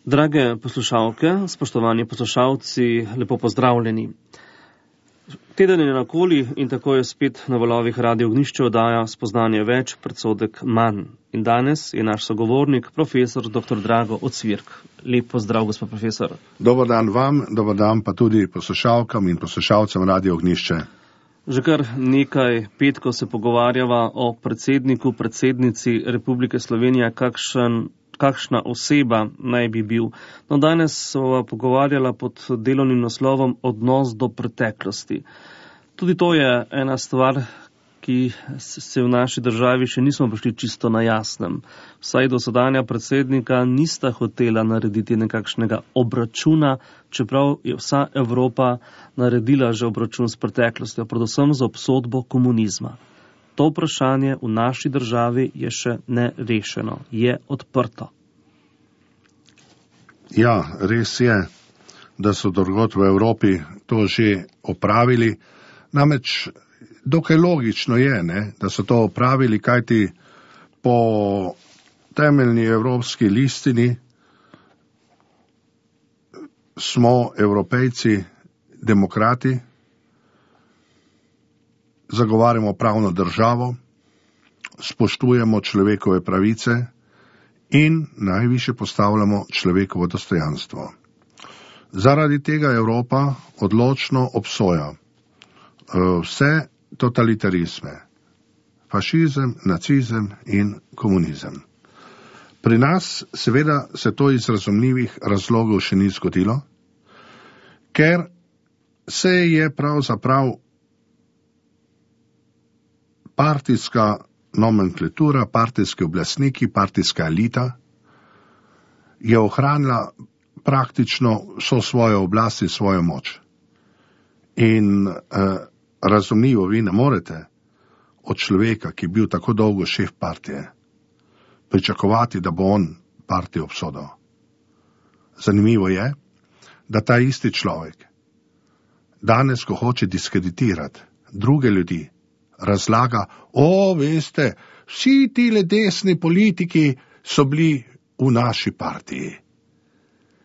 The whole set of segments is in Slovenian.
Drage poslušalke, spoštovani poslušalci, lepo pozdravljeni. Teden je nakoli in tako je spet na valovih Radio Ognjišče oddaja Spoznanje več, predsodek manj. In danes je naš sogovornik, profesor dr. Drago Ocvirk. Lep pozdrav, gospod profesor. Dobar dan vam, dobar dan pa tudi poslušalkam in poslušalcem Radio Ognjišče. Že kar nekaj petkov se pogovarjava o predsedniku, predsednici Republike Slovenije, kakšna oseba naj bi bil. No, danes sva pogovarjala pod delovnim naslovom Odnos do preteklosti. Tudi to je ena stvar, ki se v naši državi še nismo prišli čisto na jasnem. Vsaj dosedanja predsednika nista hotela narediti nekakšnega obračuna, čeprav je vsa Evropa naredila že obračun s preteklostjo, predvsem z obsodbo komunizma. To vprašanje v naši državi je še nerešeno, je odprto. Ja, res je, da so drugod v Evropi to že opravili. Namreč dokaj logično je, da so to opravili, kajti po temeljni evropski listini smo Evropejci demokrati, zagovarjamo pravno državo, spoštujemo človekove pravice in najvišje postavljamo človekovo dostojanstvo. Zaradi tega Evropa odločno obsoja vse totalitarizme, fašizem, nacizem in komunizem. Pri nas seveda se to iz razumljivih razlogov še ni zgodilo, ker se je pravzaprav partijska nomenklatura, partijski oblastniki, partijska elita je ohranila praktično vso svojo oblast in svojo moč. In razumljivo, vi ne morete od človeka, ki je bil tako dolgo šef partije, pričakovati, da bo on partijo obsodil. Zanimivo je, da ta isti človek danes, ko hoče diskreditirati druge ljudi, razlaga, veste, vsi tile desni politiki so bili v naši partiji.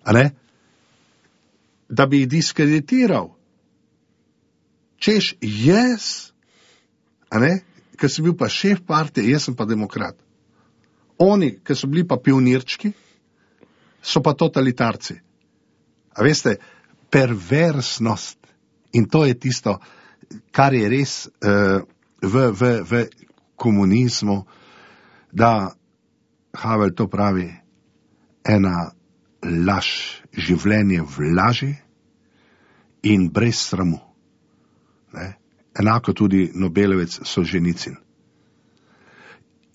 A ne? Da bi jih diskreditiral. Češ, jaz, ker sem bil pa šef partije, jaz sem pa demokrat. Oni, ki so bili pa pionirčki, so pa totalitarci. A veste, perversnost. In to je tisto, kar je res v komunizmu, da Havel to pravi, ena laž, življenje v laži in brez sramu. Enako tudi Nobelovec Solženicin.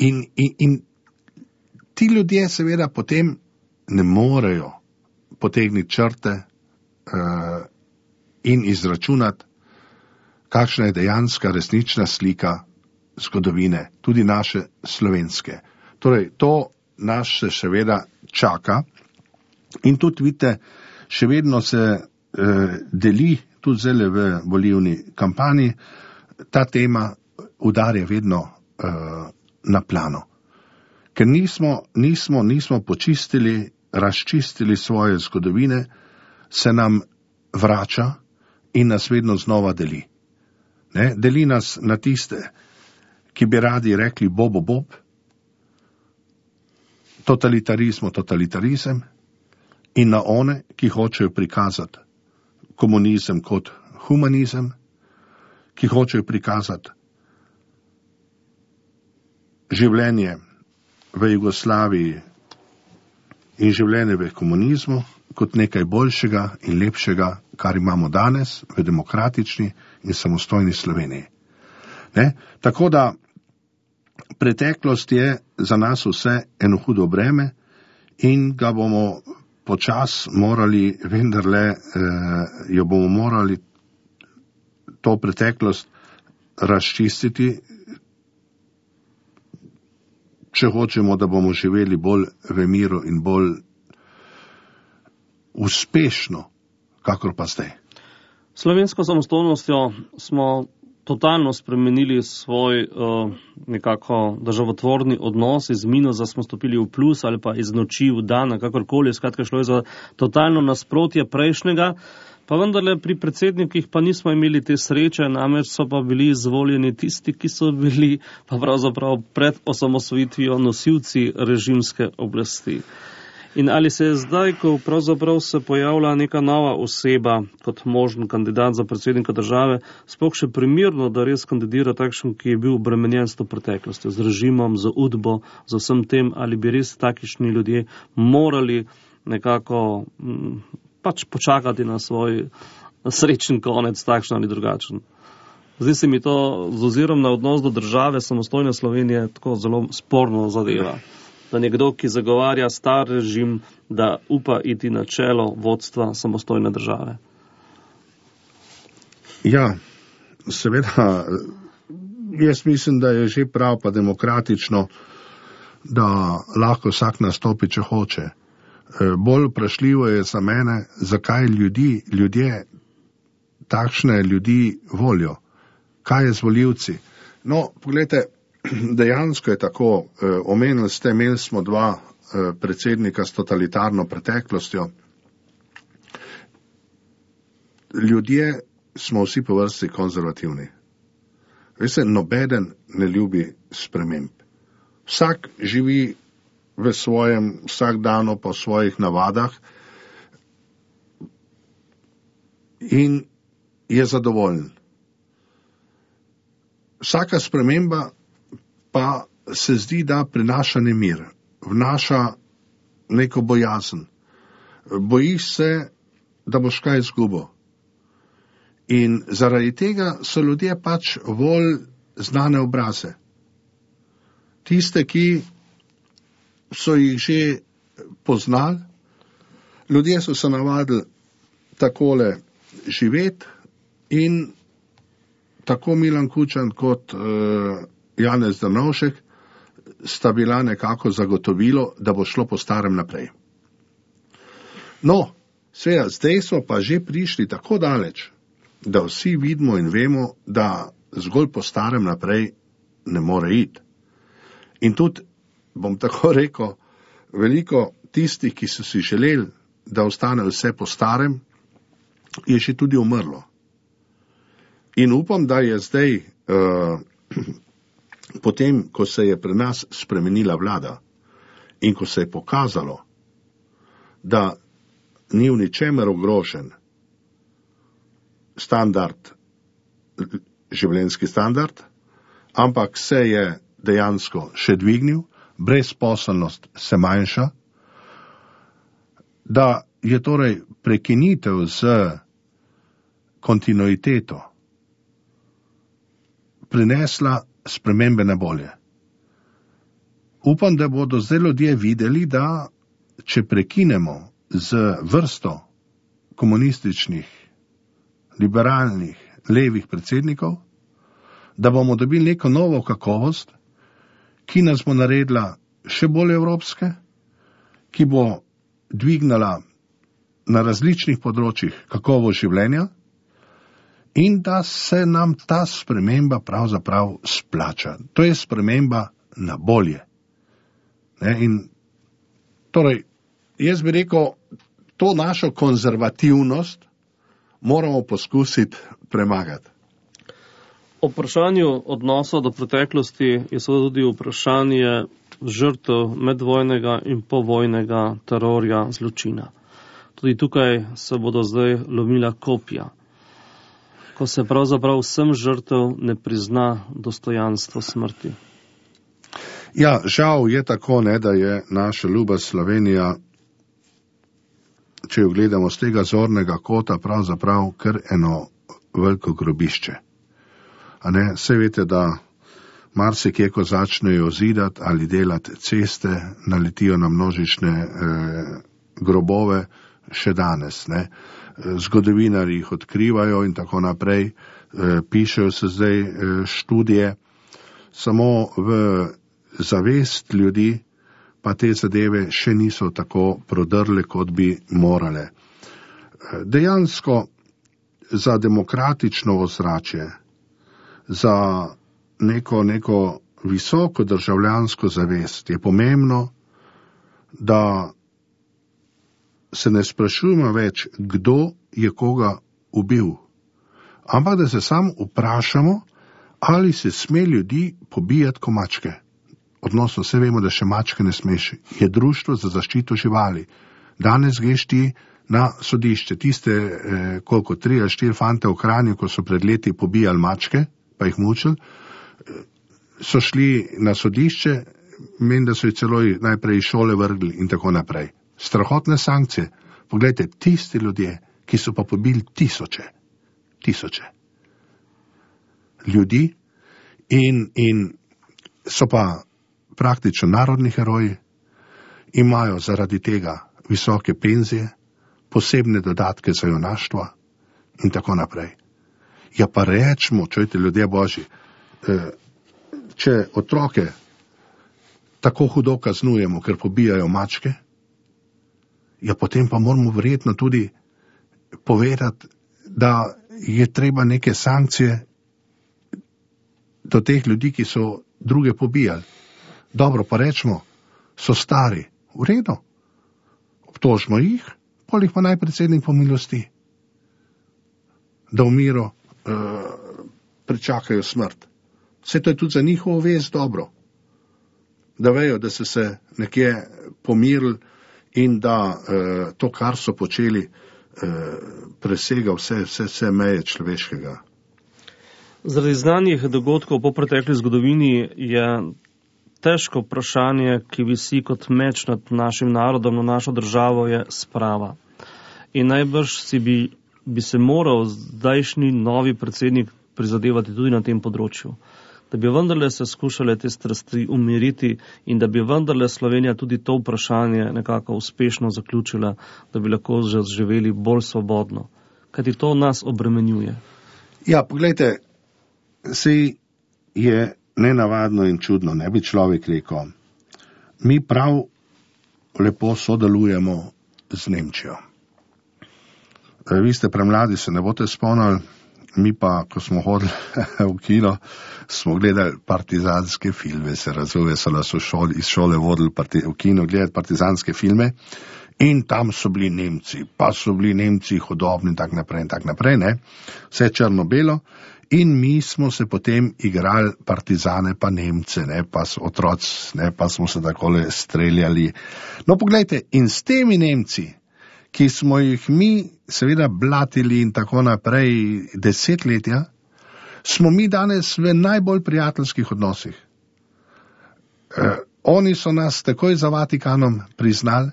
In ti ljudje seveda potem ne morejo potegniti črte in izračunati, kakšna je dejanska resnična slika zgodovine, tudi naše slovenske. Torej, to nas se seveda čaka in tudi vidite, še vedno se deli, tudi zdaj v volilni kampanji, ta tema udarja vedno na plano. Ker nismo počistili, razčistili svoje zgodovine, se nam vrača in nas vedno znova deli. Deli nas na tiste, ki bi radi rekli bob, totalitarizem, in na one, ki hočejo prikazati komunizem kot humanizem, ki hočejo prikazati življenje v Jugoslaviji in življenje v komunizmu kot nekaj boljšega in lepšega, kar imamo danes v demokratični in samostojni Sloveniji. Tako da preteklost je za nas vse eno hudo breme in ga bomo počas morali, vendarle jo bomo morali to preteklost razčistiti, če hočemo, da bomo živeli bolj v miru in bolj uspešno, kakor pa zdaj. Slovensko samostojnostjo smo totalno spremenili svoj nekako državotvorni odnos, iz minusa smo stopili v plus ali pa iz noči v dan, kakorkoli, skratka šlo je za totalno nasprotje prejšnjega, pa vendarle pri predsednikih pa nismo imeli te sreče, namreč so pa bili izvoljeni tisti, ki so bili pa pravzaprav pred osamosvojitvijo nosilci režimske oblasti. In ali se je zdaj, ko pravzaprav se pojavlja neka nova oseba kot možen kandidat za predsednika države, sploh še primerno, da res kandidira takšen, ki je bil obremenjen s to preteklostjo, z režimom, z udbo, z vsem tem, ali bi res takišni ljudje morali nekako pač počakati na svoj srečen konec, takšen ali drugačen. Zdi se mi to z ozirom na odnos do države samostojne Slovenije tako zelo sporno zadeva. Da nekdo, ki zagovarja star režim, da upa iti na čelo vodstva samostojne države. Ja, seveda, jaz mislim, da je že prav pa demokratično, da lahko vsak nastopi, če hoče. Bolj vprašljivo je za mene, zakaj ljudje takšne ljudi volijo. Kaj je z volivci? No, pogledajte, dejansko je tako, omenili ste, imeli smo dva predsednika s totalitarno preteklostjo. Ljudje smo vsi po vrsti konzervativni. Veste, nobeden ne ljubi sprememb. Vsak živi v svojem vsakdanu po svojih navadah in je zadovoljen. Vsaka sprememba pa se zdi, da prinaša nemir, vnaša neko bojazen. Bojiš se, da boš kaj izgubil. In zaradi tega so ljudje pač bolj znane obraze. Tiste, ki so jih že poznali, ljudje so se navadili takole živeti in tako Milan Kučan kot Janez Drnovšek sta bila nekako zagotovilo, da bo šlo po starem naprej. No, seveda, zdaj smo pa že prišli tako daleč, da vsi vidimo in vemo, da zgolj po starem naprej ne more iti. In tudi, bom tako rekel, veliko tistih, ki so si želeli, da ostane vse po starem, je še tudi umrlo. In upam, da je zdaj potem, ko se je pri nas spremenila vlada in ko se je pokazalo, da ni v ničemer ogrožen standard, življenjski standard, ampak se je dejansko še dvignil, brezposelnost se manjša, da je torej prekinitev z kontinuiteto prinesla spremembe na bolje. Upam, da bodo zdaj ljudje videli, da če prekinemo z vrsto komunističnih, liberalnih, levih predsednikov, da bomo dobili neko novo kakovost, ki nas bo naredila še bolj evropske, ki bo dvignala na različnih področjih kakovost življenja in da se nam ta sprememba pravzaprav splača. To je sprememba na bolje. In torej, jaz bi rekel, to našo konzervativnost moramo poskusiti premagati. O vprašanju odnosa do preteklosti je seveda tudi vprašanje žrtev medvojnega in povojnega terorja, zločina. Tudi tukaj se bodo zdaj lomila kopja, ko se pravzaprav vsem žrtev ne prizna dostojanstvo smrti. Ja, žal je tako, da je naša ljuba Slovenija, če jo gledamo z tega zornega kota, pravzaprav kar eno veliko grobišče. Saj veste, da marsikje, ko začnejo zidati ali delati ceste, naletijo na množične grobove še danes. Zgodovinarji jih odkrivajo in tako naprej, pišejo se zdaj študije, samo v zavest ljudi pa te zadeve še niso tako prodrle, kot bi morale. Dejansko za demokratično ozračje za neko visoko državljansko zavest je pomembno, da se ne sprašujemo več, kdo je koga ubil, ampak da se sam vprašamo, ali se sme ljudi pobijati kot mačke. Odnosno, vse vemo, da še mačke ne smeš. Je društvo za zaščito živali. Danes greš ti na sodišče. Tiste, 3 ali 4 fante v Kranju, ko so pred leti pobijali mačke, pa jih mučili, so šli na sodišče, menim, da so jih celo najprej iz šole vrgli in tako naprej. Strahotne sankcije. Poglejte, tisti ljudje, ki so pa pobili tisoče ljudi in so pa praktično narodni heroji, imajo zaradi tega visoke penzije, posebne dodatke za junaštvo in tako naprej. Ja pa rečemo, čujte, ljudje božji, če otroke tako hudo kaznujemo, ker pobijajo mačke, ja potem pa moramo verjetno tudi povedati, da je treba neke sankcije do teh ljudi, ki so druge pobijali. Dobro, pa rečemo, so stari, v redu, obtožimo jih, pol jih pa naj predsednik pomilosti, da v miru pričakajo smrt. Vse to je tudi za njihovo vest dobro, da vejo, da so se nekje pomirili in da to, kar so počeli, presega vse meje človeškega. Zaradi znanih dogodkov po pretekli zgodovini je težko vprašanje, ki visi kot meč nad našim narodom, na našo državo, je sprava. In najbrž bi se moral zdajšnji novi predsednik prizadevati tudi na tem področju, da bi vendarle se skušale te strasti umiriti in da bi vendarle Slovenija tudi to vprašanje nekako uspešno zaključila, da bi lahko živeli bolj svobodno. Kajti to nas obremenjuje. Ja, pogledajte, saj je nenavadno in čudno, ne bi človek rekel. Mi prav lepo sodelujemo z Nemčijo. Vi ste premladi, se ne boste spomnili, mi pa, ko smo hodili v kino, smo gledali partizanske filme, se razume, so nas iz šole vodili v kino gledati partizanske filme in tam so bili Nemci, pa so bili Nemci hudobni in tak naprej, ne, vse črno-belo. In mi smo se potem igrali partizane pa Nemce, ne, pa otroci, ne, pa smo se takole streljali. No, poglejte, in s temi Nemci, ki smo jih mi seveda blatili in tako naprej desetletja, smo mi danes v najbolj prijateljskih odnosih. Oni so nas takoj za Vatikanom priznali,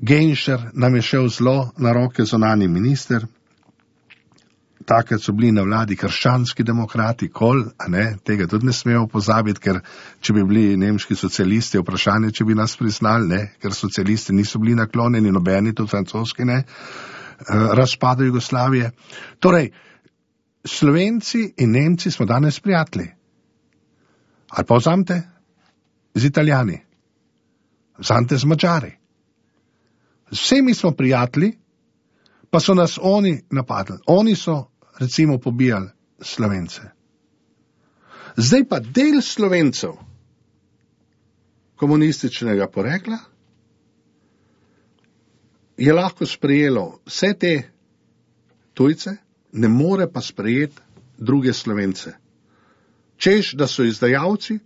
Genšer nam je šel zelo na roke, zunanji minister, takrat so bili na vladi krščanski demokrati, tega tudi ne smemo pozabiti, ker če bi bili nemški socialisti, vprašanje, če bi nas priznali, ne, ker socialisti niso bili naklonjeni, nobeni, tudi francoski, ne, razpadu Jugoslavije. Torej, Slovenci in Nemci smo danes prijatelji. Ali pa vzamete z Italijani, vzamete z Mađari. Vsemi smo prijatelji, pa so nas oni napadli. Oni so, recimo, pobijali Slovence. Zdaj pa del Slovencev komunističnega porekla je lahko sprejelo vse te tujce, ne more pa sprejeti druge Slovence. Češ, da so izdajalci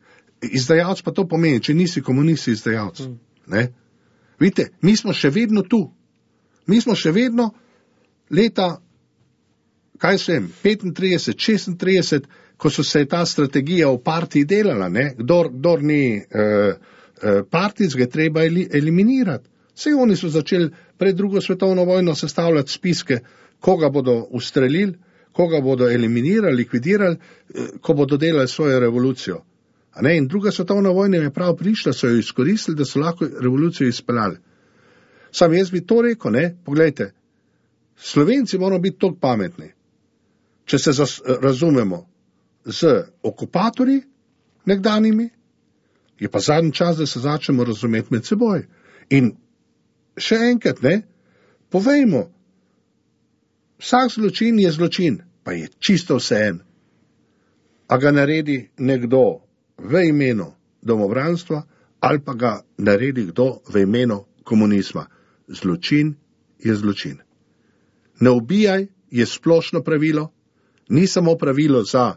pa to pomeni, če nisi komunist, izdajalci. Ne? Vidite, mi smo še vedno tu. Mi smo še vedno leta, 35, 36, ko so se ta strategija v partiji delala, ne? Kdor ni partijc, ga treba eliminirati. Vse oni so začeli pred drugo svetovno vojno sestavljati spiske, koga bodo ustrelili, koga bodo eliminirali, likvidirali, ko bodo delali svojo revolucijo. In druga svetovna vojna je prav prišla, so jo izkoristili, da so lahko revolucijo izpeljali. Sam jaz bi to rekel, ne, poglejte, Slovenci moramo biti toliko pametni, če se razumemo z okupatorji nekdanjimi, je pa zadnji čas, da se začnemo razumeti med seboj. In še enkrat, ne, povejmo, vsak zločin je zločin, pa je čisto vseeno. a ga naredi nekdo v imenu domobranstva ali pa ga naredi kdo v imenu komunizma. Zločin je zločin. Ne ubijaj je splošno pravilo, ni samo pravilo za,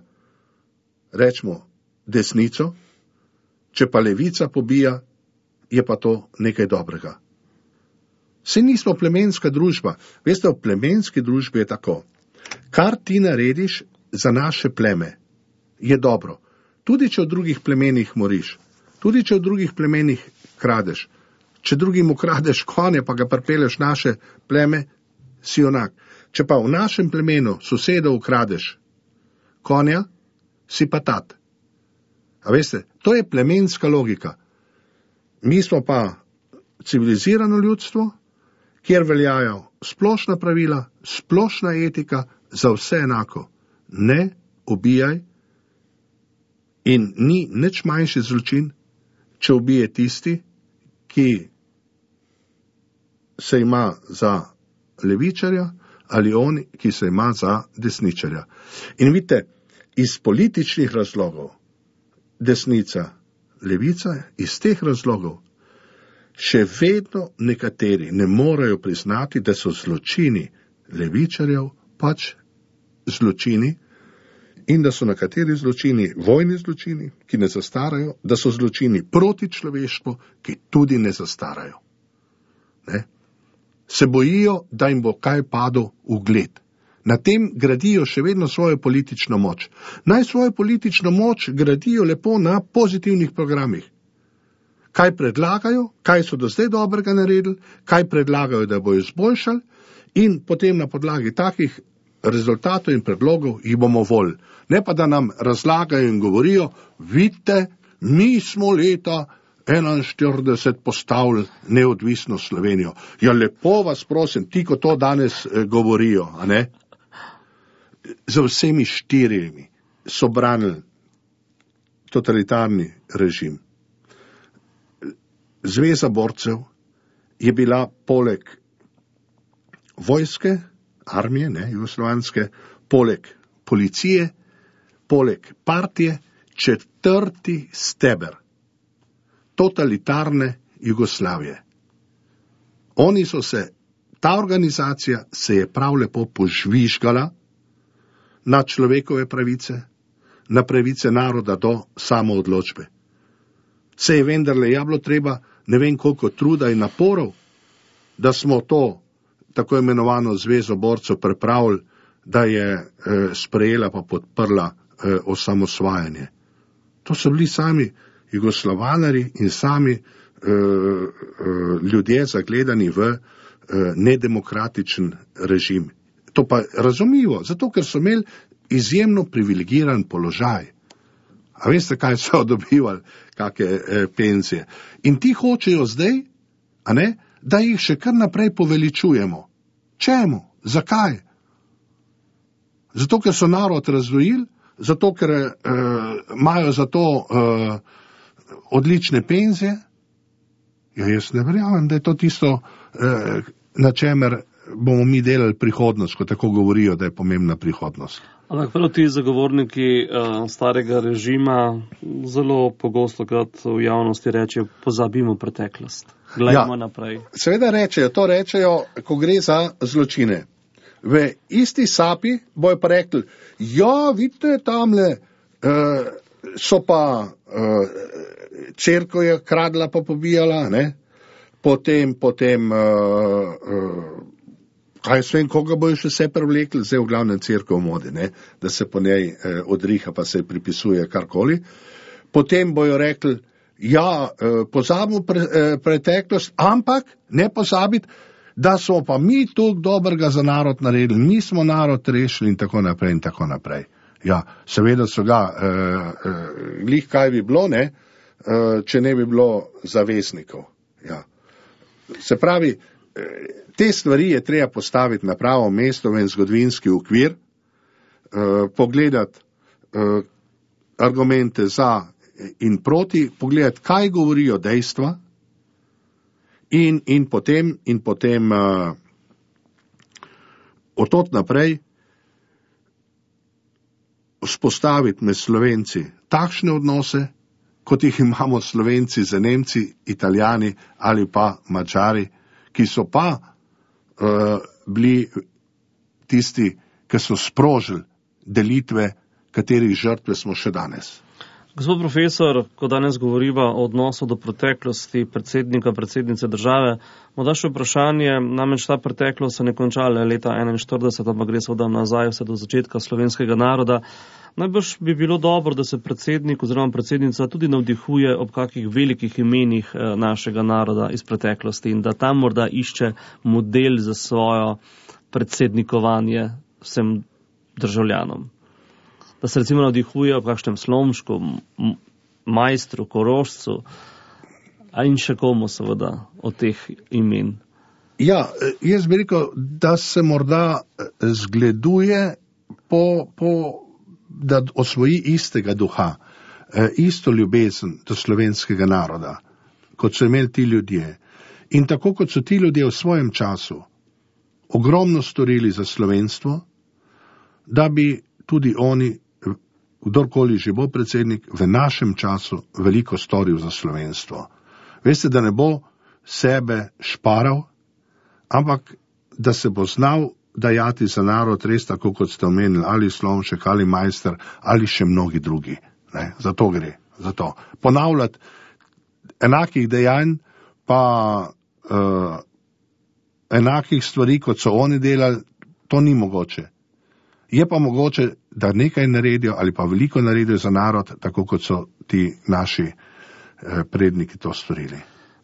rečemo, desnico, če pa levica pobija, je pa to nekaj dobrega. Saj nismo plemenska družba. Veste, v plemenski družbi je tako. Kar ti narediš za naše pleme, je dobro. Tudi če v drugih plemenih moriš, tudi če v drugih plemenih kradeš, če drugim ukradeš konje, pa ga pripeleš naše pleme, si onak. Če pa v našem plemenu sosedo ukradeš konja, si pa tat. A veste, to je plemenska logika. Mi smo pa civilizirano ljudstvo, kjer veljajo splošna pravila, splošna etika, za vse enako. Ne ubijaj in ni nič manjši zločin, če ubije tisti, ki se ima za levičarja ali on, ki se ima za desničarja. In vidite, iz političnih razlogov desnica, levica, iz teh razlogov še vedno nekateri ne morejo priznati, da so zločini levičarjev pač zločini in da so nekateri zločini vojni zločini, ki ne zastarajo, da so zločini proti človeštvu, ki tudi ne zastarajo. Ne? Se bojijo, da jim bo kaj padlo ugled. Na tem gradijo še vedno svojo politično moč. Naj svojo politično moč gradijo lepo na pozitivnih programih. Kaj predlagajo, kaj so do zdaj dobrega naredili, kaj predlagajo, da bo izboljšali in potem na podlagi takih rezultatov in predlogov jih bomo volili. Ne pa, da nam razlagajo in govorijo, vidite, mi smo leta 41 postavili neodvisno Slovenijo. Ja, lepo vas prosim, ti, ko to danes govorijo, a ne? Za vsemi štirimi so branili totalitarni režim. Zveza borcev je bila poleg vojske, armije, ne, jugoslovanske, poleg policije, poleg partije, četrti steber totalitarne Jugoslavije. Oni so se, ta organizacija se je prav lepo požvižgala na človekove pravice, na pravice naroda do samoodločbe. Se je vendarle bilo treba ne vem koliko truda in naporov, da smo to tako imenovano zvezo borcev pripravili, da je sprejela pa podprla osamosvajanje. To so bili sami jugoslovanari in sami ljudje zagledani v nedemokratičen režim. To pa razumljivo, zato ker so imeli izjemno privilegiran položaj. A veste, kaj so dobivali, kakšne penzije. In ti hočejo zdaj, a ne, da jih še kar naprej poveličujemo. Čemu? Zakaj? Zato, ker so narod razdvojili, zato, ker imajo za to odlične penzije. Ja, jaz ne verjamem, da je to tisto, na čemer bomo mi delali prihodnost, ko tako govorijo, da je pomembna prihodnost. Ampak prav ti zagovorniki starega režima zelo pogosto krat v javnosti rečejo, pozabimo preteklost. Glejmo naprej. Seveda rečejo, ko gre za zločine. V isti sapi bojo pa rekli, ja, vidite, tamle so pa cerkev je kradla pa pobijala, ne? Potem kaj s vem, koga bojo še vse prevlekli, zdaj v glavnem cerkev v modi, ne? Da se po njej odriha pa se pripisuje karkoli. Potem bojo rekli, ja, pozabimo preteklost, ampak ne pozabiti, da smo pa mi toliko dobrega za narod naredili, mi smo narod rešili in tako naprej in tako naprej. Ja, seveda so ga, glih kaj bi bilo, ne, če ne bi bilo zaveznikov. Ja. Se pravi, te stvari je treba postaviti na pravo mesto v en zgodovinski okvir, pogledati argumente za in proti, pogledati, kaj govorijo dejstva in potem od tod naprej vzpostaviti med Slovenci takšne odnose, kot jih imamo Slovenci z Nemci, Italijani ali pa Mačari, ki so pa bili tisti, ki so sprožili delitve, katerih žrtve smo še danes. Gospod profesor, ko danes govoriva o odnosu do preteklosti predsednika, predsednice države, morda še vprašanje, namreč ta preteklost se ne končala leta 1941, ampak gre seveda nazaj vse do začetka slovenskega naroda. Najbrž bi bilo dobro, da se predsednik oziroma predsednica tudi navdihuje ob kakih velikih imenih našega naroda iz preteklosti in da tam morda išče model za svojo predsednikovanje vsem državljanom. Da se recimo navdihuje ob kakšnem Slomšku, Majstru, Korošcu, in še komu seveda od teh imen. Ja, jaz bi rekel, da se morda zgleduje da osvoji istega duha, isto ljubezen do slovenskega naroda, kot so imeli ti ljudje. In tako kot so ti ljudje v svojem času ogromno storili za slovenstvo, da bi tudi oni, kdorkoli že bo predsednik, v našem času veliko storil za slovenstvo. Veste, da ne bo sebe šparal, ampak da se bo znal dajati za narod res tako, kot ste omenili, ali Slomšek, ali Majster, ali še mnogi drugi. Ne? Za to gre. Za to. Ponavljati enakih dejanj, pa enakih stvari, kot so oni delali, to ni mogoče. Je pa mogoče, da nekaj naredijo ali pa veliko naredijo za narod, tako kot so ti naši predniki to storili.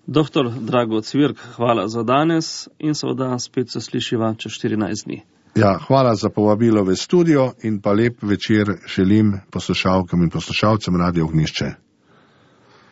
Doktor Drago Cvirk, hvala za danes in seveda spet se slišiva čez 14 dni. Ja, hvala za povabilo v studio in pa lep večer želim poslušalkam in poslušalcem Radio Ognjišče.